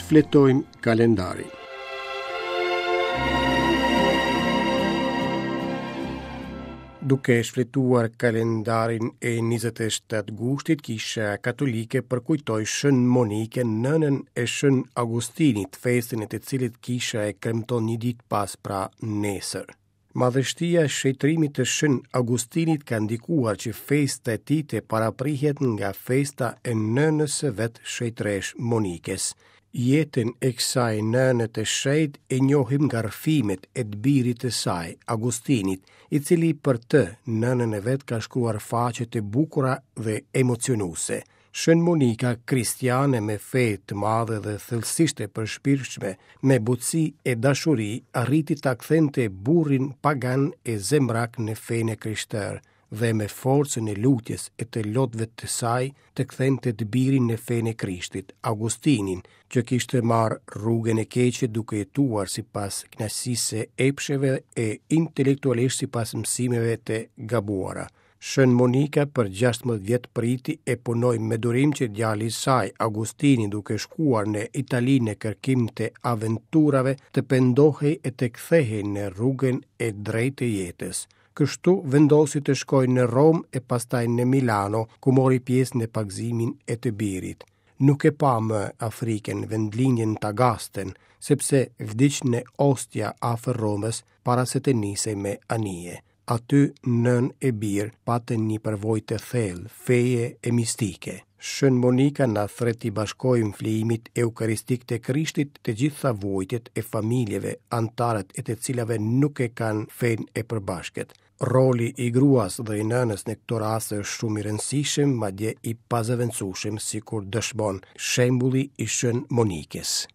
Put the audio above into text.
Shfletojmë kalendarin. Duke shfletuar kalendarin e 27 gushtit, Kisha Katolike përkujtoi Shën Monikën, nënën e Shën Augustinit, festën e të cilit Kisha e kremton një ditë pas pra nesër. Madhështia e shenjtërimit të Shën Augustinit ka ndikuar që festa e tij të paraprihet nga festa e nënës së vet shenjtëreshë Monikës. Jetën e kësaj nëne të shenjtë e njohim nga rrëfimet e të birit të saj, Augustinit, i cili për të, nënën e vet ka shkruar faqe të bukura dhe emocionuese. Shën Monika, kristiane me fe të madhe dhe thellësisht e përshpirtshme, me butësi e dashuri arriti ta kthente burrin pagan e zemrak në fenë e krishterë dhe me forcën e lutjes e të lotëve të saj të kthente të birin në fenë e Krishtit, Augustinin, që kishte marrë rrugën e keqe duke jetuar sipas kënaqësisë së epsheve e intelektualisht sipas mësimeve të gabuara. Shën Monika për 16 vjet priti e punoi me durim që djali i saj, Augustini, duke shkuar në Itali në kërkim të aventurave, të pendohej e të kthehej në rrugën e drejtë të jetës. Kështu vendosi të shkojë në Romë e pastaj në Milano, ku mori pjesë në pagëzimin e të birit. Nuk e pa më Afrikën, vendlindjen Tagasten, sepse vdiq në Ostia afër Romës para se të nisej me anije. Aty nënë e bir patën një përvojë të thellë feje e mistike. Shën Monika na thërret t'i bashkojmë flijimit eukaristik të Krishtit të gjitha vuajtjet e familjeve, anëtarët e të cilave nuk e kanë fenë e përbashkët. Roli i gruas dhe i nënës në këto raste është shumë i rëndësishëm, madje i pazëvendësueshëm, sikur dëshmon shembulli i Shën Monikës.